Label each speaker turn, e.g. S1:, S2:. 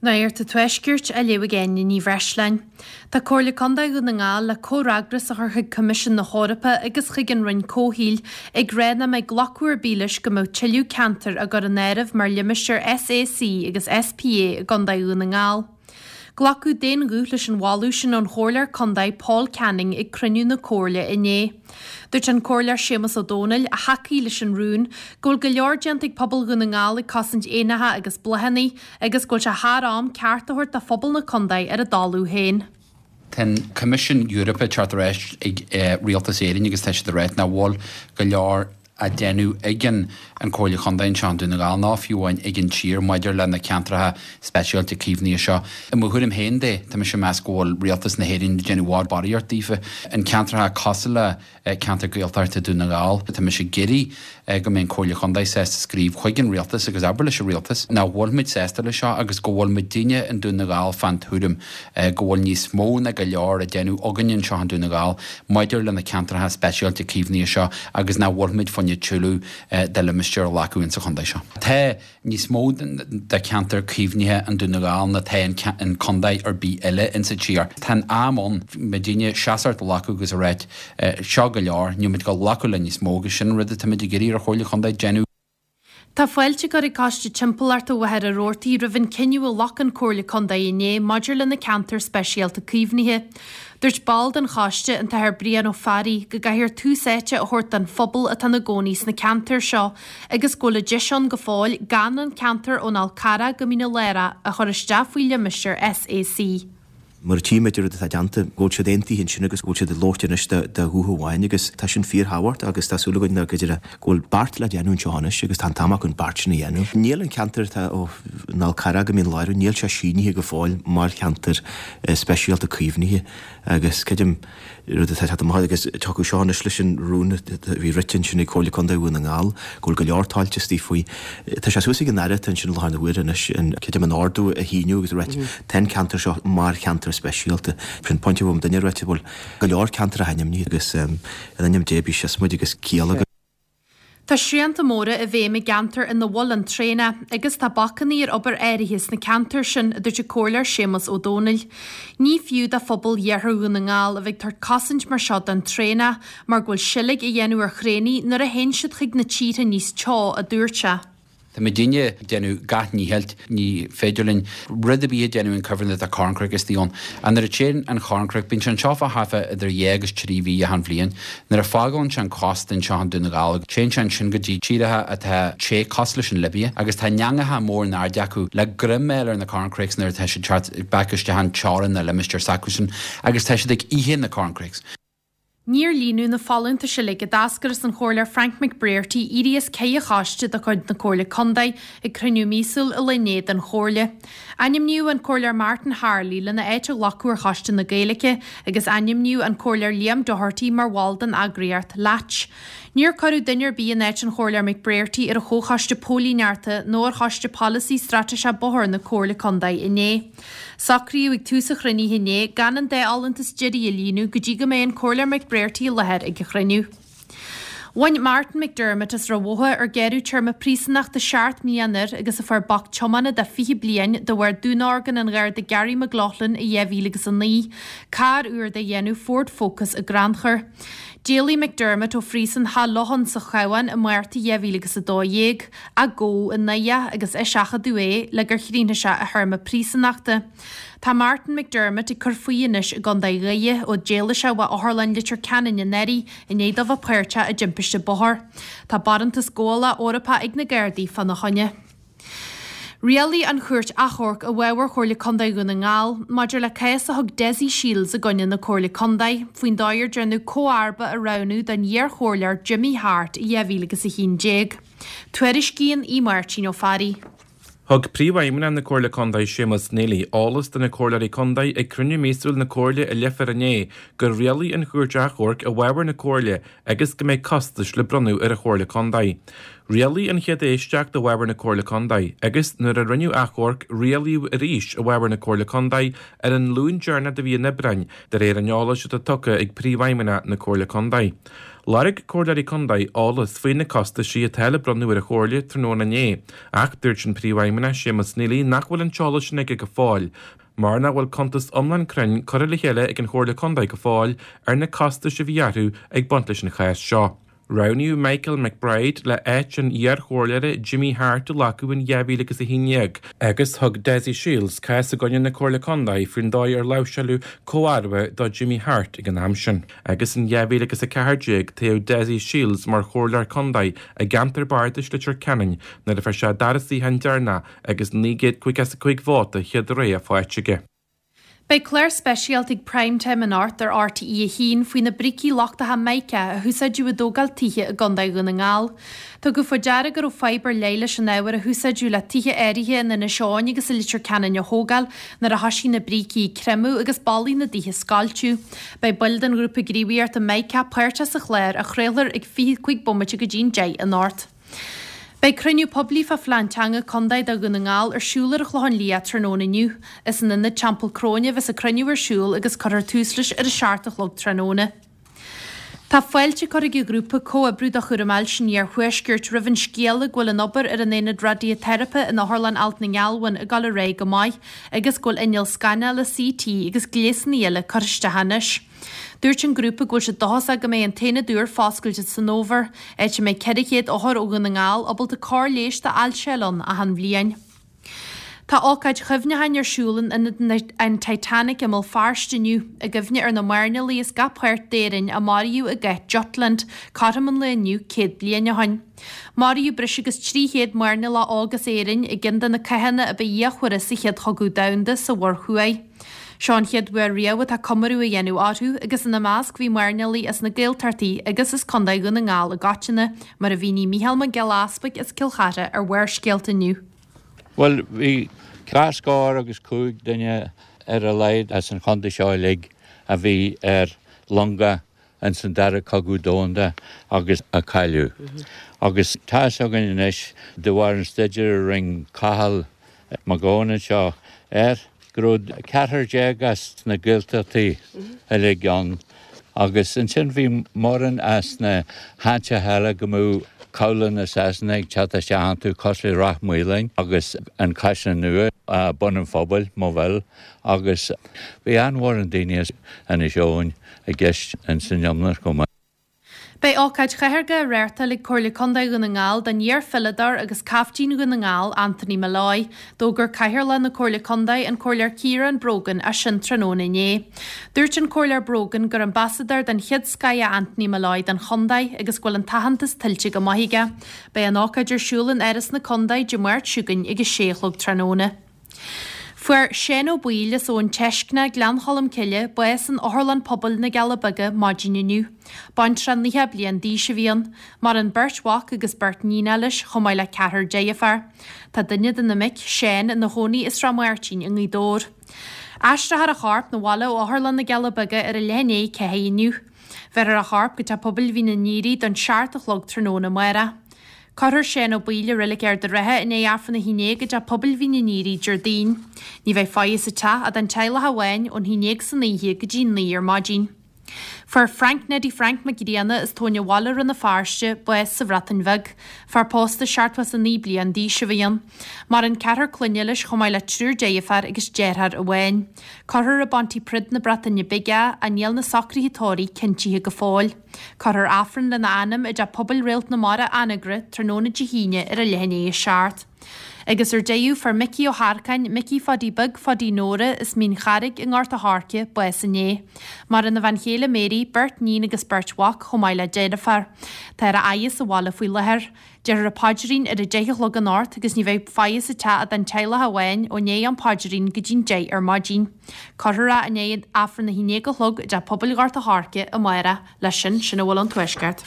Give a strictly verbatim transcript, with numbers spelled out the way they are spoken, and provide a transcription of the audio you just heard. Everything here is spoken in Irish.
S1: Nuacht an Tuaiscirt á léamh ag Áine Ní Bhreisleáin. Tá Comhairle Contae Dhún na nGall le comhfhreagras a chur chuig Coimisiún na hEorpa agus chuig an Roinn Comhshaoil ag rá nach mbeidh glacadh ar bith leis go mbeadh tuilleadh ceantar á gcur in áireamh mar limistéar SAC agus SPA i gContae Dhún na nGall. Glacadh d'aon ghuth leis an mholadh sin ón Chomhairleoir Contae Paul Canning ag cruinniú na Comhairle inné. Dúirt an Comhairleoir Séamus Ó Domhnaill, a thacaigh leis an rún, go bhfuil go leor déanta ag pobal Dhún na nGall ag cosaint éanacha agus bláthanna agus go bhfuil sé thar am ceart a thabhairt do phobal na contae ar a dtalamh féin.
S2: Tá an Coimisiún Eorpach ag teacht ar ais ag Rialtas Éireann agus tá siad ag ráit nach bhfuil go leor á déanamh ag an an Comhairle Chontae anseo i nDún na nGall ná fiú amháin ag an tír maidir le na ceantracha speisialta caomhnaithe seo. I mo thuairim féin de, tá mise ag meas go bhfuil Rialtas na hÉireann ag déanamh bhfad barraíocht daofa. An ceantracha cosúil le ceantar Gaeltachta Dún na nGall, tá mise ag iarraidh go mbeidh an Comhairle Chontae sásta scríobh chuig an Rialtas agus abair leis an Rialtas nach bhfuil muid sásta leis seo agus go bhfuil muidinne i nDún na nGall fán tuairim go bhfuil níos mó ná go leor á déanamh againn anseo i nDún na nGall maidir le na ceantracha speisialta caomhnaithe seo agus nach bhfuil muid fá choinne tuilleadh de limistéar a ghlacadh insa chontae seo. Tá níos mó de cheantar caomhnaithe i nDún na nGall ná tá in contae ar bith eile insa tír. Tá an am ann muidinne seasamh a ghlacadh agus a ráit seo go leor, níl muid ag glacadh le níos mó agus sin an rud atá muid ag iarraidh ar Chomhairle Chontae déanamh.
S1: Tá fáilte curtha ag Coiste Timpeallachta Mhachaire Rabhartaigh roimh an cinneadh a ghlac an Comhairle Contae inné maidir le na ceantair speisialta caomhnaithe. Dúirt ball den choiste an tAthair Brian Ó Fearraigh go gcaithfear tús áite a thabhairt don phobal atá ina gcónaí sna ceantair seo agus go bhfuil an deis ann go fóill gan an ceantar ón Fhál Carrach go Mín an Lárach a chur isteach faoi limistéar SAC.
S3: Mar a tchímid an rud atá déanta, go bhfuil siad aontaithe ansin agus go bhfuil siad ag labhairt anois de ghuth amháin agus tá sin fíorthábhachtach agus tá súil againn go deireadh go bhfuil beart le déanamh anseo anois agus tá an t-am acu an beart sin a dhéanamh. Níl an ceantar atá ó an Fhál Carrach go Mín Lárach, níl sé sínithe go fóill mar cheantar speisialta caomhnaithe agus creidim rud atá teacht amach agus tiocfaidh seo anois leis an rún a bhí rite ansin ag Comhairle Contae Dhún na nGall go bhfuil go leor tailte istigh faoi. Tá sé suas ag an Aire atá ansin i láthair na huaire anois an creidim an ordú a shíniú agus a ráit tá an ceantar seo mar cheantar speisialta. Sin pointe a bhfuil duine a ráite bhfuil go leor ceantar a ainmnithe agus in ainm Dé bí sios muid agus ciall agus
S1: Tá srianta móra i bhfeidhm i gceantar ina bhfuil an traonach agus tá bacanna ar obair áirithe sna ceantair sin a dúirt an Comhairleoir Séamus Ó Domhnaill. Ní fiú do phobal Iarthar Dhún na nGall a bheith ag tabhairt cosaint mar seo don traonach mar go bhfuil seilg á dhéanamh ar chraonaigh nuair a théann siad chuig na tíortha níos teo a dúirt sé.
S2: Tá muidinne ag déanamh gach ndícheall, ní féidir linn rud ar bith a dhéanamh an cuibhreann atá corncroic istigh ann. And nuair a téann an corncroic, bíonn sé anseo fá thart fá idir dhá agus trí mhí achan bhliain. Nuair a fágálann sé an cósta anseo i nDún na nGall, téann sé ansin go dtí tíortha atá te cosúil leis an Libia, agus tá neangacha mór in airde acu le greim a fháil ar na corncrakes nuair atá siad teacht back isteach an teorainn na limistéir s'acusan, agus tá siad ag ithe na corncrakes.
S1: Níor líonadh na folúntais uilig a d'eascair as an Chomhairleoir Frank McBrearty éirí as ceithre choiste de chuid na Comhairle Contae ag cruinniú míosúil an lae inné den Chomhairle. Ainmníodh an Comhairleoir Martin Harley lena áit a ghlacadh ar Choiste na Gaeilge agus ainmníodh an Comhairleoir Liam Doherty mar bhall den eagraíocht Latch. Níor cuireadh duine ar bith in áit an Chomhairleoir McBrearty ar an Chomhchoiste Póilíneachta nó ar Choiste Polasaí Straitéiseach Bóthair na Comhairle Contae inné. Socraíodh ag tús an chruinnithe inné gan an dá fholúntas deiridh a líonadh go dtí go mbeidh an Comhairleoir McBrearty i láthair ag an chruinniú. Bhain Martin McDermott as Ráth Bhotha ar gearradh téarma príosúnachta seacht mbliana air agus a fuair bac tiomána de fiche bliain de bharr dúnorgain an Gharda Gary McLaughlin i dhá mhíle agus a naoi, carr úr de dhéanamh Ford Focus i gCrannchur. D'éalaigh McDermott ó phríosún Theach Locháin sa Chabhán i Márta dhá mhíle agus a dó dhéag, ach gabhadh i nDoire agus eiseachadadh é le gur chríochnaigh sé a théarma príosúnachta. Tá Martin McDermott ag cur faoi anois i gContae Dhoire ó d'éalaigh sé ó Otharlann Leitir Ceanainn anuraidh i ndiaidh dó bheith páirteach i dtimpiste bóthair. Tá barántas gabhála Eorpach ag na Gardaí fána choinne. Rialaigh an Chúirt Achomhairc i bhfabhar Chomhairle Contae Dhún na nGall maidir le cás a thug Dessie Shields i gcoinne na Comhairle Contae faoin dóigh ar déanadh comharba a roghnú don iar-chomhairleoir Jimmy Hart i dhá mhíle agus a haon déag. Tuairiscíonn Aodh Máirtín Ó Fearraigh.
S4: Thug Príomhfheidhmeannach na Comhairle Contae Séamus Neely eolas do na Comhairleoirí Contae ag cruinniú míosúil na Comhairle i Leifear inné gur rialaigh an Chúirt Achomhairc i bhfabhar na Comhairle agus go mbeidh costais le bronnadh ar an Chomhairle Contae. Rialaigh an chéad éisteacht i bhfabhar na Comhairle Contae agus nuair a rinneadh achomharc rialaíodh arís i bhfabhar na Comhairle Contae ar an Luan deireanach de mhí an Aibreáin de réir an eolais atá tugtha ag Príomhfheidhmeannach na Comhairle Contae. Lorg Comhairleoirí Contae eolas faoi na costaisí atá le bronnadh ar an Chomhairle tráthnóna inné, ach dúirt an Príomhfheidhmeannach Séamus Neely nach bhfuil an t-eolas sin aige go fóill, mar nach bhfuil cuntas iomlán cruinn curtha le chéile ag an Chomhairle Contae go fóill ar na costais a bhí orthu ag baint leis an chás seo. Roghnaíodh Michael McBride le áit an iarchomhairleora Jimmy Hart a ghlacadh in dhá mhíle agus a haon déag agus thug Dessie Shiels cás i gcoinne na Comhairle Contae faoin dóigh ar láimhseáladh comharba do Jimmy Hart ag an am sin. Agus in dhá mhíle agus a ceathair déag toghadh Dessie Shiels mar chomhairleoir contae i gceantar bardais Leitir Ceanainn nuair a fuair sé an dara suíochán deireanach agus naoi gcéad caoga is a cúig vóta chéad rogha faighte aige.
S1: Beidh clár speisialta ag Prime Time anocht ar RTÉ a haon faoi na brící lochtacha mica a húsáideadh i dtógáil tithe i gContae Dhún na nGall. Tugadh faoi deara go raibh fadhb ar leith leis an ábhar a húsáideadh le tithe áirithe in Inis Eoghain agus i Leitir Ceanainn a thógáil nuair a thosaigh na brící ag creimeadh agus ballaí na dtithe scoilteadh. Beidh baill den ghrúpa gníomhaíochta Mica páirteach sa chlár a chraolfar ag fiche cúig bomaite go dtí'n deich anocht. Beidh cruinniú poiblí fá phlean teanga contae do Dhún na nGall ar siúl ar an Chlochán Liath tráthnóna inniu. Is in ionad Teampall Cróine a bheas an cruinniú ar siúl agus cuirfear tús leis ar a seacht a chlog tráthnóna. Tá fáilte curtha ag an ghrúpa Comhoibriú do Chúram Ailse an Iarthuaiscirt roimh an scéala go bhfuil an obair ar an aonad raidiateiripe in Otharlann Alt na nGealbhan ag dul ar aghaidh go maith agus go bhfuil inneall scanála CT agus gléasanna eile curtha isteach anois. Dúirt an grúpa go bhfuil siad dóchasach go mbeidh an t-aonad úr foscailte san fhómhar, áit a mbeidh ceithre chéad othar ó Dhún na nGall ábalta cóir leighis d'ailse a fháil ann achan bhliain. Tá ócáid chuimhneacháin ar siúl in ionad an Titanic i mBéal Feirste inniu, i gcuimhne ar na mairnéalaigh as gach páirt d'Éirinn a maraíodh i gCath Jutland, cothrom an lae inniu céad bliain ó shin. Maraíodh breis agus trí chéad mairnéalach óg as Éirinn i gceann de na cathanna a ba fhíochmhaire sa Chéad Chogadh Domhanda sa Mhuir Thuaidh. Seo an chéad uair riamh atá comóradh á dhéanamh orthu agus ina measc bhí mairnéalaigh as na Gaeltachtaí agus as Contae Dhún na nGall i gcoitinne, mar a mhínigh Mícheál Mac Giolla Easpaig as Cill Chartha ar Bharrscéalta inniu.
S5: Bhuel, bhí dhá scór agus cúig duine ar a laghad as an chontae seo uilig a bhí ar longa ins an Dara Cogadh Domhanda agus a cailleadh. Agus tá fhios againn anois, de bharr an staidéir a rinne Cathal Mac Gabhann anseo air, go raibh ceathrar déag as na Gaeltachtaí uilig ann agus ansin bhí mórán as na háiteacha eile go mbeadh cabhlaigh na Sasana ag teacht isteach iontu cosúil le Ráth Maoláin agus an Caisleán Nua, Bun an Phobail, Moville agus bhí an-mhórán daoine as Inis Eoghain i gceist ins an iomlán chomh maith.
S1: Beidh ócáid chaithairge á reáchtáil ag Comhairle Contae Dhún na nGall don iar-pheileadóir agus caiftín Dhún na nGall, Anthony Molloy. D'fhógair Cathaoirleach na Comhairle Contae, an Comhairleoir Ciarán Brogan, é sin tráthnóna inné. Dúirt an Comhairleoir Brogan gur ambasadóir den chéad scoth é Anthony Molloy don chontae agus go bhfuil an t-aitheantas tuillte go maith aige. Beidh an ócáid ar siúl in Áras na Contae Dé Máirt seo chugainn ag a sé a chlog tráthnóna. Fuair Seán Ó Baoill as Abhainn Teiscne, Gleann Cholm Cille, bás in Otharlann Pobail na gCealla Beaga maidin inniu. Baintreach naocha bliain d'aois a bhí ann. Maireann beirt mhac agus beirt níon leis, chomh maith le ceathrar deirféar. Tá duine de na mic, Seán, ina chónaí i Srath Máirtín i nGaoth Dobhair. Aistreofar a chorp 'na bhaile ó Otharlann na gCealla Beaga ar a leath i ndiaidh a ceathair inniu. Bheirfear a chorp go Teach Pobail Mhín an Aoraigh don seacht a chlog tráthnóna amárach. Cuirfear Seán Ó Baoill i Reilig Ard an Rátha i ndiaidh Aifreann a haon déag i dTeach Pobail Mhín an Aoraigh Déardaoin. Ní bheidh faire sa teach ach don teaghlach amháin ón haon déag san oíche go dtí naoi ar maidin. Fuair Frank Neddy Frank Mac Grianna as Tóin an Bhaile Rann na Feirste bás sa Bhreatain Bheag. Fear pósta seachtó is a naoi bliain d'aois a bhí ann. Maireann ceathrar clainne leis chomh maith le triúr deirféar agus deartháir amháin. Cuirfear i bPontypridd na Breataine Bige é ach níl na socruithe tórraimh cinntithe go fóill. Cuirfear Aifreann lena anam i dTeach Pobail Réalt na Mara, Anagaire, tráthnóna Dé hAoine ar a leath i ndiaidh a seacht. Agus ar deireadh, fuair Micí Ó hEarcáin, Micí Pháidí Beag Pháidí Nóra, as Mín Charraig i nGort a' Choirce, bás inné. Maireann a bhean chéile Mary, beirt níon agus beirt mhac, chomh maith le deirfiúr. Tá ar a fhaire sa bhaile faoi láthair. Déarfar an paidrín ar a deich a chlog anocht agus ní bheidh faire sa teach ach don teaghlach amháin ó ndiaidh an paidrín go dtí'n deich ar maidin. Cuirfear é i ndiaidh Aifreann a haon déag a chlog i dTeach Pobail Ghort a' Choirce amárach. Leis sin, sin a bhfuil ón Tuaisceart.